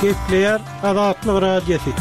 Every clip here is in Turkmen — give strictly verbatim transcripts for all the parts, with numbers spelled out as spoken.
Gepleýär Azatlyk Radiosy.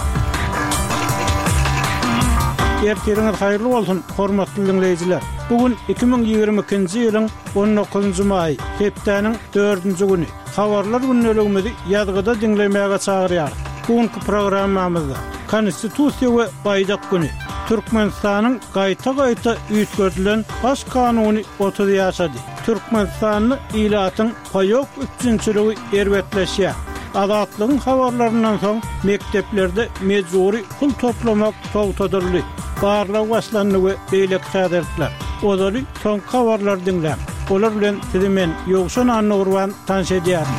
Ertiriňiz haýyrly bolsun, hormatly diňleýjiler! Bu gün iki müň ýigrimi ikinji ýylyň on dokuzynjy maýy, hepdäniň dördünji güni. Habarlar gündeligimizi ýazgyda diňlemäge çagyrýarys. Bu günki programmamyzda Konstitusiýa we Baýdak güni, Türkmenistanyň gaýta-gaýta üýtgedilen Baş kanuny otuz ýaşady, Türkmenistanda ilatyň paýok üpjünçiligi erbetleşýär, Azatlygyň habarlaryndan soň mekdeplerde mejbury pul toplamak togtadyldy, barlag başlandy we beýleki täzelikler. Ozaly soňky habarlary diňläň. Olar bilen sizi men, Ýowşan Annagurban, tanyş edýärin.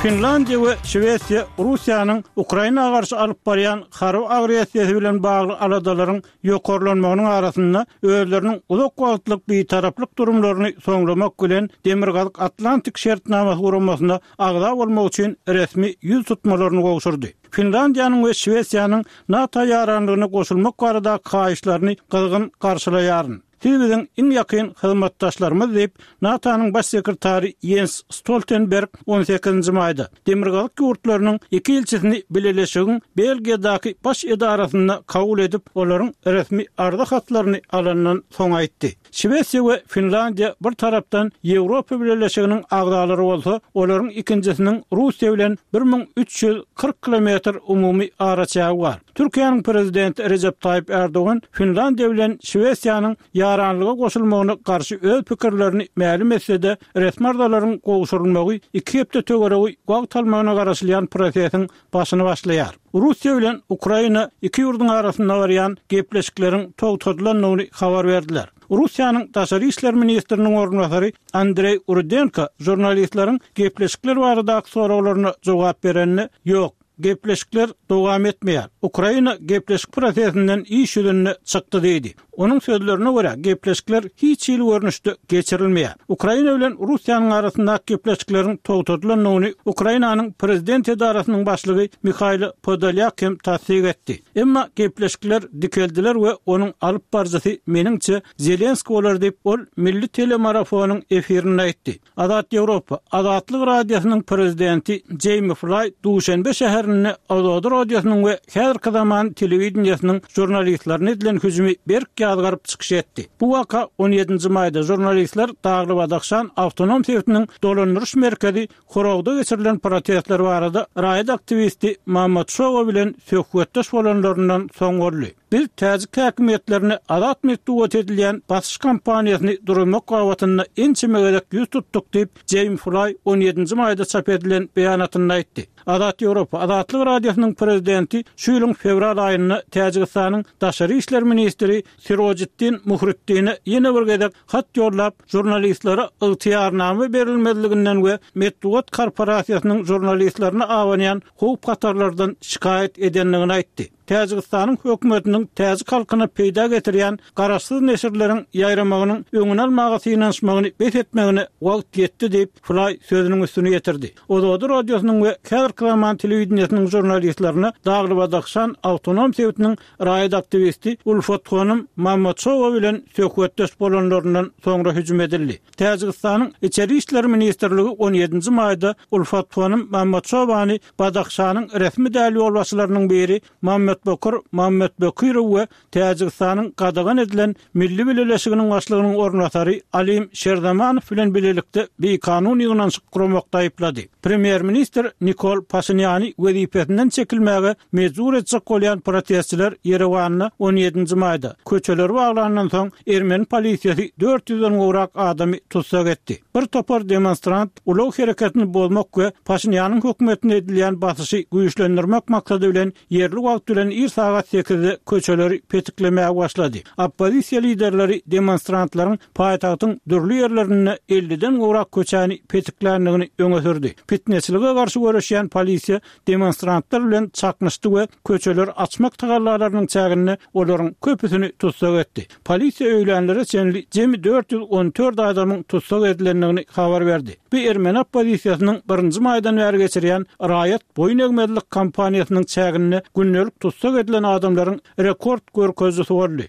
Finlandiýa we Şwesiýa Russiýanyň Ukraina garşy alyp barýan harby agressiýasy bilen bagly aladalaryň ýokarlanmagynyň arasynda özleriniň uzak wagtlyk bitaraplyk durumlaryny soňlamak bilen Demirgazyk Atlantik şertnamasy guramasyna agza bolmak üçin resmi ýüz tutmalaryny gowşurdy. Finlandiýanyň we Şwesiýanyň NATO ýaranlygyna goşulmak baradaky haýyşlaryny gyzgyn garşylaýaryn. Siz biziň iň ýakyn hyzmatdaşlarymyz diýip, NATO-nyň Baş sekretary Ýens Stoltenberg on sekizinji maýda Demirgazyk ýurtlarynyň iki ilçisini bileleşigiň Belgiýadaky baş edarasynda kabul edip, olaryň resmi arza hatlaryny alandan soň aýtdy. Şwesiýa we Finlandiýa bir tarapdan Ýewropa Bileleşiginiň agzalary bolsa, olaryň ikinjisiniň Russiýa bilen bir müň üç ýüz kyrk kilometr umumy araçägi bar. Türkiýäniň Prezidenti Rejep Taýyp Ärdogan Finlandiýa bilen Şwesiýanyň ýaranlyga goşulmagyna garşy öz pikirlerini mälim etse-de, resmi arzalaryň gowşurylmagy iki hepde töweregi wagt almagyna garaşylýan prosesiň başyny başlaýar. Russiýa bilen Ukraina iki ýurduň arasynda barýan gepleşikleriň togtadylandygyny habar berdiler. Russiýanyň Daşary işler ministriniň orunbasary Andreý Rudenko žurnalistleriň gepleşikler baradaky soraglaryna jogap berende, Ýok, gepleşikler dowam etmeýär. Ukraina gepleşik prosesinden iş ýüzünde çykdy diýdi. Onuň sözlerine görä, gepleşikler hiç hili görnüşde geçirilmeýär. Ukraina bilen Russiýanyň arasyndaky gepleşikleriň togtadylandygyny Ukrainanyň prezident edarasynyň başlygy Mihailo Podolýak hem tassyk etdi. Emma gepleşikler dikeldiler we onuň alyp baryjysy meniňçe Zelenskiý bolar diýip, ol milli telemarafonyň efirinde aýtdy. Azat Ýewropa, Azatlyk Radiosynyň prezidenti Jeými Flaý Duşenbe şäherinde Ozodi radiosynyň we häzirki zaman telewideniýesiniň žurnalistlerine edilen hüjümi berk ýazgaryp çykyş etdi. Bu waka on ýedinji maýda žurnalistler Dagly-Badahşan awtonom sebitiniň dolandyryş merkezi Horogda geçirilen protestler barada raýat aktiwisti Mammad Şowa bilen söhbetdeş bolanlaryndan soň boldy. Biz täjik häkimiýetlerine azat metbugat edilýän basyş kampaniýasyny duruzmak babatynda ençeme gezek ýüz tutduk diýip, Jeým Flaý on ýedinji maýda çap edilen beýanatynda aýtdy. Azat Ýewropa, Azatlyk Radiosynyň prezidenti şu ýylyň fewral aýynda Täjigistanyň daşary işler ministri Sirojiddin Muhriddine ýene bir gezek hat ýollap, žurnalistlere ygtyýarnama berilmezliginden we metbugat korporasiýasynyň žurnalistlerine abanýan howp-hatarlardan şikaýat edendigini aýtdy. Täjigistanyň hökümetiniň täjik halkyna peýda getirýän garaşsyz neşirleriň ýaýramagynyň öňüni almaga synanyşmagyny bes etmegine wagt ýetdi diýip, Flaý sözüniň üstüni ýetirdi. Ozodi radiosynyň we häzirki zaman telewideniýesiniň žurnalistlerine Dagly-Badahşan awtonom sebitiniň raýat aktiwisti Ulfathonym Mamadşowa bilen söhbetdeş bolanlaryndan soňra hüjüm edildi. Täjigistanyň Içeri işler ministrligi on ýedinji maýda Ulfathonym Mamadşowany Badahşanyň resmi däl ýolbaşçylarynyň biri Mammetbokir Mammetbekirow we Täjigistanyň gadagan edilen Milli bileleşiginiň başlygynyň orunbasary Alim Şerzamanow bilen bilelikde bikanun ýygnanyşyk guramakda aýyplady. Premýer-ministr Nikol Paşinýany wezipesinden çekilmäge mejbur etjek bolýan protestçiler Ýerewanda on ýedinji maýda köçeleri baglandan soň ermeni polisiýasy dört ýüzden gowrak adamy tussag etdi. Bir topar demonstrant ulag hereketini bozmak we Paşinýanyň hökümetine edilýän basyşy güýçlendirmek maksady bilen ýerli wagt bilen ir sagat sekizde köçeleri petiklemäge başlady. Oppozisiýa liderleri demonstrantlaryň paýtagtyň dürli ýerlerinde elliden gowrak köçäni petikländigini öňe sürdi. Pitneçilige garşy göreşýän polisiýa demonstrantlar bilen çaknyşdy we köçeleri açmak tagallalarynyň çäginde olaryň köpüsini tussag etdi. Polisiýa öýlänlere çenli jemi dört ýüz on dört adamyň tussag edilendigini habar berdi. Bu ermeni oppozisiýasynyň birinji maýdan bäri geçirýän raýat boýun egmezlik kampaniýasynyň çäginde gündelik tussag edilen adamlaryň rekord görkezijisi boldy.